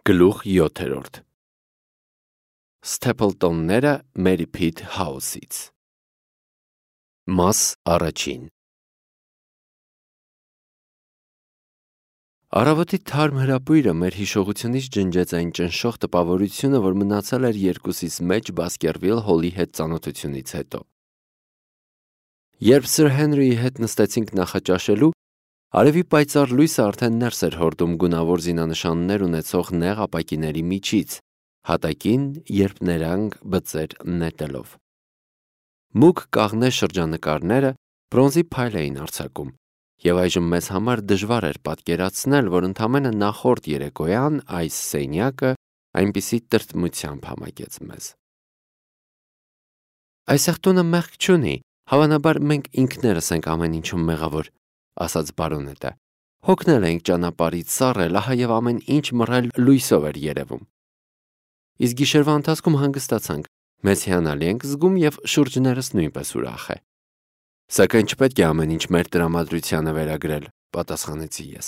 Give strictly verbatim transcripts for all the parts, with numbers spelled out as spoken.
Գլուխ յոթերորդ Սթեփլտոնները Մերի Փիթ Հաուսից Մաս առաջին Առավոտի թարմ հրապույրը մեր հիշողությունից ջնջեց այն ճնշող տպավորությունը, որ մնացել էր երկուսիս մեջ Բասկերվիլ Հոլի հետ ծանոթությունից հետո։ Երբ Սր Հենրիի հետ նստեցինք նախաճաշելու, արևի պայծառ լույսը արդեն ներս էր հորդում գունավոր զինանշաններ ունեցող նեղ ապակիների միջից, հատակին, երբ նրանք բծեր նետելով։ Մուգ կաղնե շրջանկարները բրոնզի փայլ էին արձակում, եւ այժմ մեզ համար դժվար էր պատկերացնել, որ ընդամենը նախորդ երեկոյան այս սենյակը այնպիսի տրտմությամբ համակեց մեզ։ Այսեղ տունը մեղք չունի, հավանաբար մենք ինքներս ենք ամեն ինչում մեղավոր, ասաց բարոնետը։ Հոգնել ենք ճանապարհից սառել, ահա եւ ամեն ինչ մռայլ լույսով էր երևում։ Իսկ գիշերվա ընթացքում հանգստացանք, մեզ հիանալի ենք զգում եւ շուրջներս նույնպես ուրախ է։ Սակայն չպետք է ամեն ինչ մեր տրամադրությանը վերագրել, պատասխանեցի ես։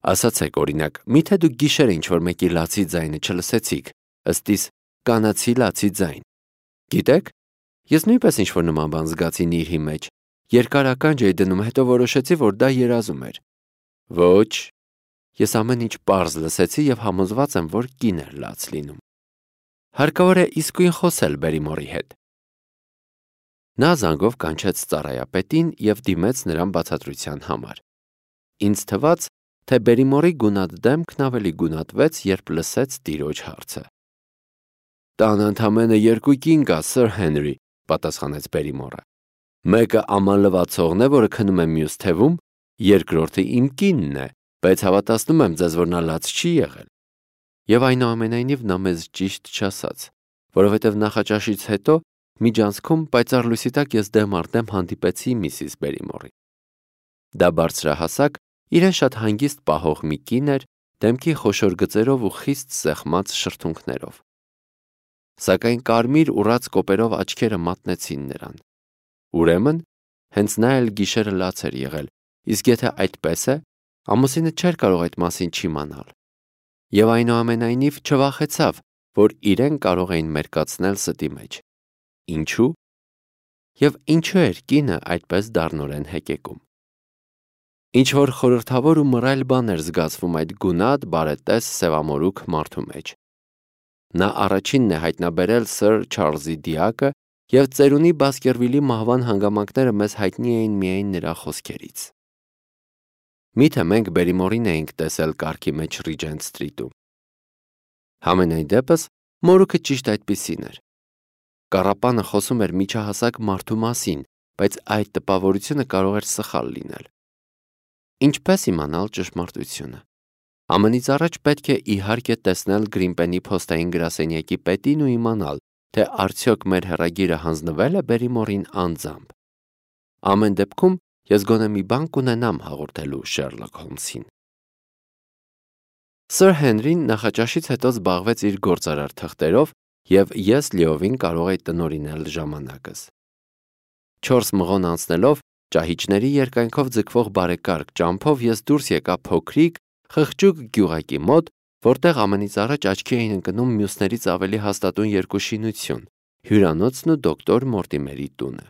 Ասացեք, օրինակ, միթե դուք գիշերը ինչ-որ մեկի լացի ձայնը չլսեցիք, ըստ իս կանացի լացի ձայն։ Գիտեք, ես նույնպես ինչ-որ նման բան զգացի նիրհի մեջ։ Երկար ականջ էի դնում, հետո որոշեցի, որ դա երազում էր։ Ոչ, ես ամեն ինչ պարզ լսեցի եւ համոզված եմ, որ կին էր լաց լինում։ Հարկավոր է իսկույն խոսել Բերիմորի հետ։ Նա զանգով կանչեց ծառայապետին եւ դիմեց նրան բացատրության համար։ Ինձ թվաց, թե Բերիմորի գունատ դեմքն ավելի գունատվեց, երբ լսեց տիրոջ հարցը։ Տան ընդամենը երկու կին կա, Սր Հենրի, պատասխանեց Բերիմորը։ Մեկը աման լվացողն է, որը քնում է մյուս թևում, երկրորդը իմ կինն է, բայց հավատացնում եմ ձեզ, որ նա լաց չի եղել։ Եվ այնուամենայնիվ նա մեզ ճիշտ չասաց, որովհետև նախաճաշից հետո միջանցքում պայծառ լույսի տակ ես դեմ առ դեմ հանդիպեցի միսիս Բերիմորի։ Դա բարձրահասակ, իրեն շատ հանգիստ պահող մի կին էր, դեմքի խոշոր գծերով ու խիստ սեղմած շրթունքներով։ Սակայն կարմիր ուռած կոպերով աչքերը մատնեցին նրան։ Ուրեմն, հենց նա էլ գիշերը լաց էր եղել, իսկ եթե այդպես է, ամուսինը չէր կարող այդ մասին չիմանալ։ Եվ այնուամենայնիվ չվախեցավ, որ իրեն կարող էին մերկացնել ստի մեջ։ Ինչու՞։ Եվ ինչու էր կինը այդպես դառնորեն հեկեկում։ Ինչ-որ խորհրդավոր ու մռայլ բան էր զգացվում այդ գունատ, բարետես, սևամորուք մարդու մեջ։ Նա առաջինն է հայտնաբերել Սր Չարլզի դիակը, և ծերունի Բասկերվիլի մահվան հանգամանքները մեզ հայտնի էին միայն նրա խոսքերից։ Միթե մենք Բերիմորին էինք տեսել կառքի մեջ Ռիջենտ Սթրիթում։ Համենայն դեպս, մորուքը ճիշտ այդպիսին էր։ Կառապանը խոսում էր միջահասակ մարդու մասին, բայց այդ տպավորությունը կարող էր սխալ լինել։ Ինչպես իմանալ ճշմարտությունը։ Ամենից առաջ պետք է իհարկե տեսնել Գրինպենի փոստային գրասենյակի պետին ու իմանալ, թե արդյոք մեր հեռագիրը հանձնվել է Բերիմորին անձամբ։ Ամեն դեպքում ես գոնե մի բան կունենամ հաղորդելու Շերլոկ Հոլմսին։ Սր Հենրին նախաճաշից հետո զբաղվեց իր գործարար թղթերով, և ես լիովին կարող էի տնօրինել ժամանակս։ Չորս մղոն անցնելով, ճահիճների երկայնքով ձգվող բարեկարգ ճամփով ես դուրս եկա փոքրիկ, խղճուկ գյուղակի մոտ, որտեղ ամենից առաջ աչքի էին ընկնում մյուսներից ավելի հաստատուն երկու շինություն՝ հյուրանոցն ու դոկտոր Մորտիմերի տունը։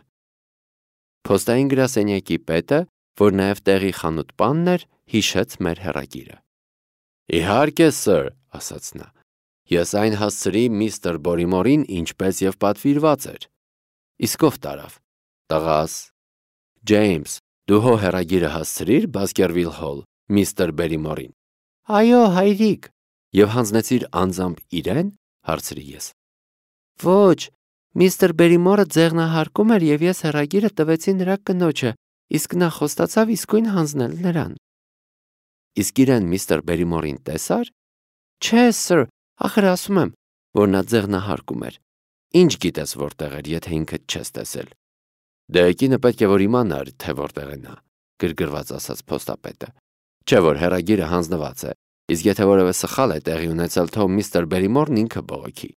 Փոստային գրասենյակի պետը, որ նաև տեղի խանութպանն էր, հիշեց մեր հեռագիրը։ Իհարկե, սըր, ասաց նա, ես այն հասցրի միստր Բորիմորին, ինչպես եւ պատվիրված էր։ Իսկ ով տարավ։ Տղաս։ Ջեյմս, դու հո հեռագիրը հասցրիր Բասկերվիլ Հոլ, միստր Բերիմորին։ Այո, հայրիկ։ Եվ հանձնեցիր անձամբ իրեն, հարցրի ես։ Ոչ, միստր Բերիմորը ձեղնահարկում էր եւ ես հեռագիրը տվեցի նրա կնոջը, իսկ նա խոստացավ իսկույն հանձնել նրան։ Իսկ իրեն միստր Բերիմորին տեսար։ Չէ, սըր, ախր ասում եմ, որ նա ձեղնահարկում էր։ Ինչ գիտես որտեղ էր, եթե ինքդ չես տեսել։ Դե կինը պետք է որ իմանար, թե որտեղ է նա, գրգռված ասաց փոստապետը։ Չէ որ հեռագիրը հանձնված է, իսկ եթե որևէ սխալ է տեղի ունեցել, թող միստր Բերիմորն ինքը բողոքի։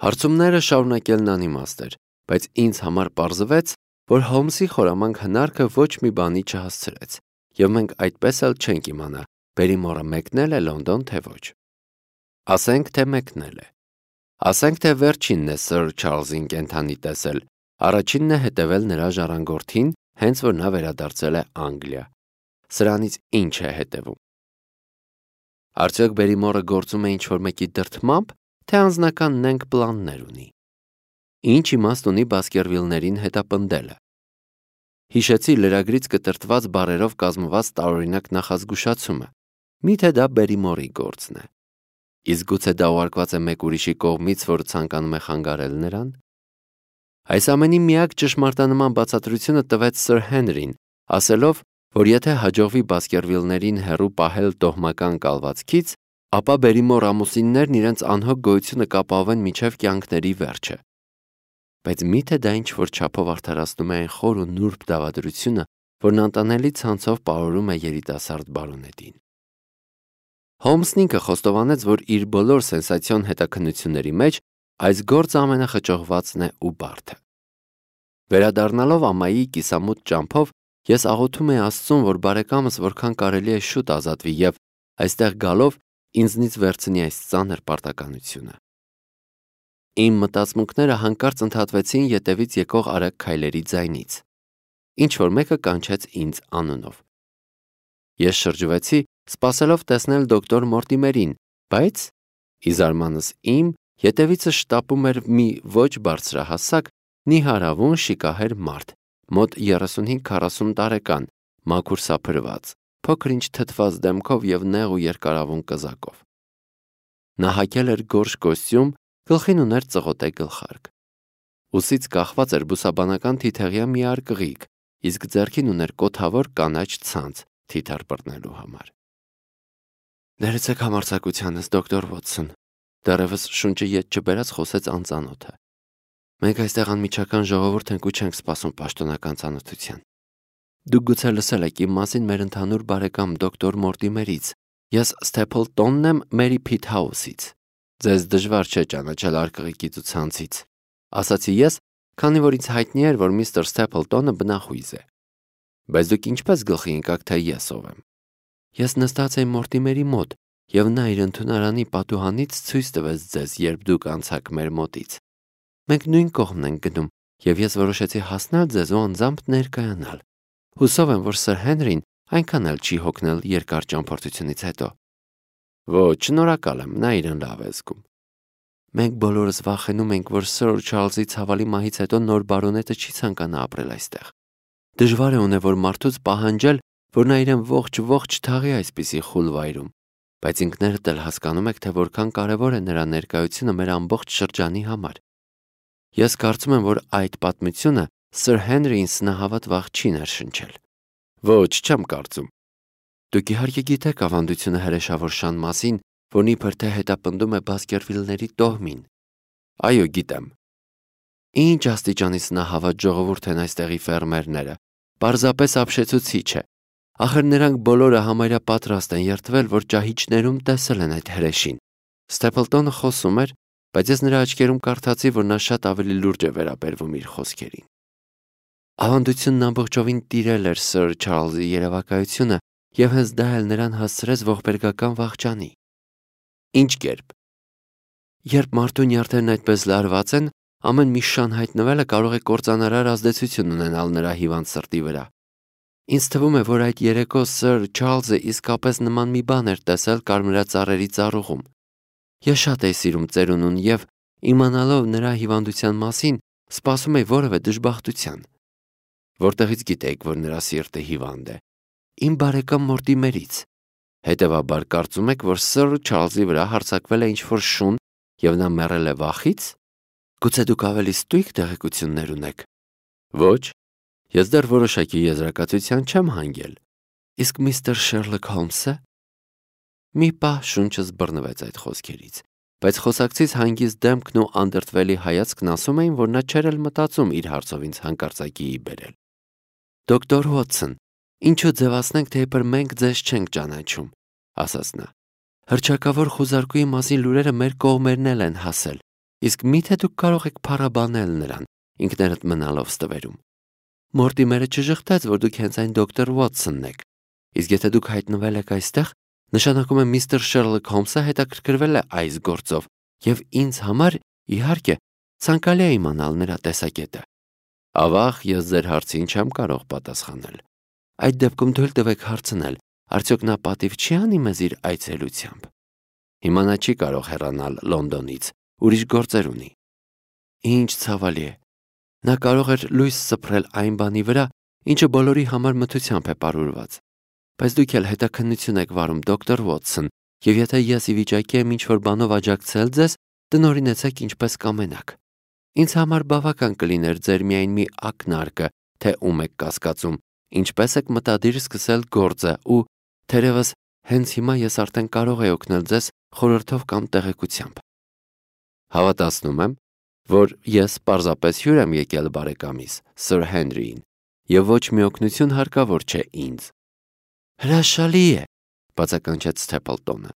Հարցումները շարունակելն անիմաստ էր, բայց ինձ համար պարզվեց, որ Հոլմսի խորամանկ հնարքը ոչ մի բանի չհասցրեց, եւ մենք այդպես էլ չենք իմանա, Բերիմորը մեկնել է Լոնդոն, թե ոչ։ Ասենք թե մեկնել է։ Ասենք թե վերջինն է Սըր Չարլզին կենդանի տեսել, առաջինն է հետևել նրա ժառանգորդին, հենց որ նա վերադարձել է Անգլիա։ Սրանից ինչ է հետևում։ Արդյոք Բերիմորը գործում է ինչ-որ մեկի դրդմամբ, թե անձնական նենք պլաններ ունի։ Ինչ իմաստ ունի Բասկերվիլներին հետապնդելը։ Հիշեցի լրագրից կտրտված բառերով կազմված տարօրինակ նախազգուշացումը։ Միթե դա Բերիմորի գործն է։ Իսկ գուցե դա ուղարկված է մեկ ուրիշի կողմից, որ ցանկանում է խանգարել նրան։ Այս ամենի միակ ճշմարտանման բացատրությունը տվեց Սըր Հենրին, ասելով, որ եթե հաջողվի Բասկերվիլներին հեռու պահել տոհմական կալվածքից, ապա Բերիմոր ամուսիններն իրենց անհոգ գոյությունը կապահովեն մինչև կյանքների վերջը։ Բայց միթե դա ինչ-որ չափով արդարացնում է այն խոր ու նուրբ դավադրությունը, որն անտանելի ցանցով պարուրում է երիտասարդ բարոնետին։ Հոլմսն ինքը խոստովանեց, որ իր բոլոր սենսացիոն հետաքննությունների մեջ այս գործը ամենախճողվածն է ու բարդը։ Վերադառնալով ամայի կիսամութ ճամփով, ես աղոթում եի Աստծուն, որ բարեկամս որքան կարելի է շուտ ազատվի եւ այստեղ գալով ինձնից վերցնի այս ծանր պարտականությունը։ Իմ մտածմունքները հանկարծ ընդհատվեցին ետևից եկող արագ քայլերի ձայնից։ Ինչ որ մեկը կանչեց ինձ անունով։ Ես շրջվեցի, սպասելով տեսնել դոկտոր Մորտիմերին, բայց ի զարմանս իմ ետևիցս շտապում էր մի ոչ բարձրահասակ, նիհարավուն շիկահեր մարդ, մոտ երեսունհինգ-քառասուն տարեկան, մաքուր սափրված, փոքր-ինչ թթված դեմքով եւ նեղ ու երկարավուն կզակով։ Նա հագել էր գորշ կոստյում, գլխին ուներ ծղոտե գլխարկ։ Ուսից կախված էր բուսաբանական թիթեղյա մի արկղիկ, իսկ ձեռքին ուներ կոթավոր կանաչ ցանց թիթեռ բռնելու համար։ Ներեցեք համարձակությանս, դոկտոր Վոթսոն, դեռևս շունչը ետ չբերած խոսեց անծանոթը։ Մենք այստեղ անմիջական ժողովուրդ ենք ու չենք սպասում պաշտոնական ծանոթության։ Դուք գուցե լսել եք իմ մասին մեր ընդհանուր բարեկամ դոկտոր Մորտիմերից։ Ես Սթեփլտոնն եմ Մերի Փիթհաուսից։ Ձեզ դժվար չէ ճանաչել արկղիկից ու ցանցից, ասացի ես, քանի որ ինձ հայտնի էր, որ միստր Սթեփլտոնը բնախույզ է։ Բայց դուք ինչպես գլխի ընկաք, թե ես ով եմ։ Ես նստած էի Մորտիմերի մոտ, եւ նա իր ընդունարանի պատուհանից ցույց տվեց ձեզ, երբ դուք անցաք մեր մոտից։ Մենք նույն կողմն ենք գնում, եւ ես որոշեցի հասնել ձեզ ու անձամբ ներկայանալ։ Հուսով եմ, որ Սըր Հենրին այնքան էլ չի հոգնել երկար ճամփորդությունից հետո։ Ոչ, շնորհակալ եմ, նա իրեն լավ է զգում։ Մենք բոլորս վախենում ենք, որ Սըր Չարլզի ցավալի մահից հետո նոր բարոնետը չի ցանկանա ապրել այստեղ։ Դժվար է ունե որ մարդուց պահանջել, որ նա իրեն ողջ-ողջ թաղի այսպիսի խուլ վայրում, բայց ինքներդ էլ հասկանում եք, թե որքան կարևոր է նրա ներկայությունը մեր ամբողջ շրջանի համար։ Ես կարծում եմ, որ այդ պատմությունը Սըր Հենրին սնահավատ վախ չի ներշնչել։ Ոչ, չեմ կարծում։ Դուք իհարկե գիտեք ավանդությունը հրեշավոր շան մասին, որն իբր թե հետապնդում է Բասկերվիլների տոհմին։ Այո, գիտեմ։ Ինչ աստիճանի սնահավատ ժողովուրդ են այստեղի ֆերմերները, պարզապես ապշեցուցիչ է։ Ախր նրանք բոլորը համարյա պատրաստ են երդվել, որ ճահիճներում տեսել են այդ հրեշին։ Սթեփլտոնը խոսում էր, բայց ես նրա աչքերում կարդացի, որ նա շատ ավելի լուրջ է վերաբերվում իր խոսքերին։ Ավանդությունն ամբողջովին տիրել էր Սըր Չարլզի երևակայությունը եւ հենց դա էլ նրան հասցրեց ողբերգական վախճանի։ Ինչ կերպ։ Երբ մարդու նյարդերն այդպես լարված են, ամեն մի շան հայտնվելը կարող է կործանարար ազդեցություն ունենալ նրա հիվանդ սրտի վրա։ Ինձ թվում է, որ այդ երեկո Սըր Չարլզը իսկապես նման մի բան էր տեսել կարմրածառերի ծառուղում։ Ես շատ էի սիրում ծերունուն եւ, իմանալով նրա հիվանդության մասին, սպասում էի որևէ դժբախտության։ Որտեղից գիտեիք, որ նրա սիրտը հիվանդ է։ Իմ բարեկամ Մորտիմերից։ Հետևաբար կարծում եք, որ Սըր Չարլզի վրա հարձակվել է ինչ-որ շուն եւ նա մեռել է վախից։ Գուցե դուք ավելի ստույգ տեղեկություններ ունեք։ Ոչ, ես դեռ որոշակի եզրակացության չեմ հանգել։ Իսկ միստր Շերլոք Հոլմսը։ Մի պահ շունչս բռնվեց այդ խոսքերից, բայց խոսակցից հանգիստ դեմքն ու անդրդվելի հայացքն ասում էին, որ նա չէր էլ մտածում իր հարցով ինձ հանկարծակիի բերել։ Դոկտոր Վոթսոն, ինչու ձևացնենք, թե իբր մենք ձեզ չենք ճանաչում, ասաց նա։ Հռչակավոր խուզարկուի մասին լուրերը մեր կողմերն էլ են հասել, իսկ միթե դուք կարող եք փառաբանել նրան, ինքներդ մնալով ստվերում։ Մորտիմերը չժխտեց, որ դուք հենց այն դոկտոր Վոթսոնն եք, իսկ եթե դուք հայտնվել եք այստեղ, Նշանակում է միստր Շերլոկ Հոլմսը հետաքրքրվել է այս գործով եւ ինձ համար, իհարկե, ցանկալի է իմանալ նրա տեսակետը։ Ավաղ, ես ձեր հարցին չեմ կարող պատասխանել։ Այդ դեպքում թույլ տվեք հարցնել, արդյոք նա պատիվ չի անի մեզ իր այցելությամբ։ Հիմա նա չի կարող հեռանալ Լոնդոնից, ուրիշ գործեր ունի։ Ինչ ցավալի է։ Նա կարող էր լույս սփռել այն բանի վրա, ինչը բոլորի համար մթությամբ է պարուրված։ Բայց դուք էլ հետաքննություն եք վարում, դոկտոր Ուոտսոն, եւ եթե ես ի վիճակի եմ ինչ-որ բանով աջակցել ձեզ, տնօրինեցեք ինչպես կամենաք։ Ինձ համար բավական կլիներ ձեր միայն մի ակնարկը, թե ում եք կասկածում, ինչպես եք մտադիր սկսել գործը ու թերևս հենց հիմա ես արդեն կարող եմ օգնել ձեզ խորհրդով կամ տեղեկությամբ։ Հավատացնում եմ, որ ես պարզապես հյուր եմ եկել բարեկամիս, Սր Հենրիին, եւ ոչ մի օգնություն հարկավոր չէ ինձ։ Հրաշալի է, բացականչեց Սթեփլտոնը։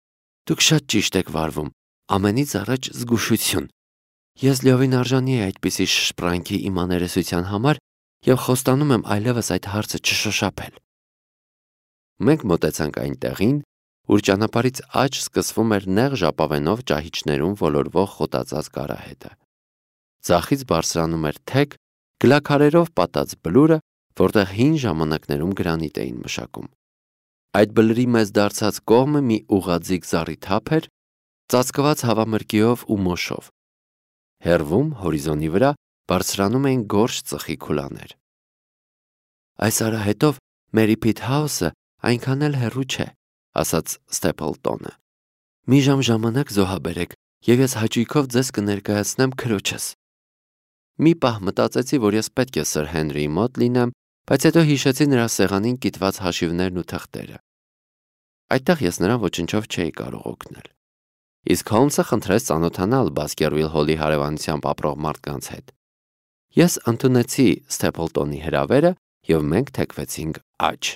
Դուք շատ ճիշտ եք վարվում, ամենից առաջ զգուշություն։ Ես լիովին արժանի եմ այդպիսի շշպրանքի իմ աներեսության համար եւ խոստանում եմ այլևս այդ հարցը չշոշափել։ Մենք մոտեցանք այն տեղին, ուր ճանապարհից աջ սկսվում էր նեղ ժապավենով ճահիճներում ոլորվող խոտածած կարահետը։ Ձախից բարձրանում էր թեք, գլաքարերով պատած բլուրը, որտեղ հին ժամանակներում գրանիտ էին մշակում։ Այդ բլրի մեծ դարձած կողմը մի ուղղաձիգ զառիթափ էր, ծածկված հավամրգիով ու մոշով։ Հեռվում հորիզոնի վրա բարձրանում էին գորշ ծխի քուլաներ։ Այս արահետով Մերի Փիթ Հաուսը այնքան էլ հեռու չէ, ասաց Սթեփլտոնը։ Մի ժամ ժամանակ զոհաբերեք, եւ ես հաճույքով ձեզ կներկայացնեմ քրոջս։ Մի պահ մտածեցի, որ ես պետք է Սր Հենրիի մոտ լինեմ, բայց հետո հիշեցի նրա սեղանին կիտված հաշիվներն ու թղթերը։ Այդտեղ ես նրան ոչնչով չէի կարող օգնել։ Իսկ Հոլմսը խնդրեց ծանոթանալ Բասկերվիլ Հոլի հարևանությամբ ապրող մարդկանց հետ։ Ես ընդունեցի Սթեփլտոնի հրավերը եւ մենք թեքվեցինք աջ։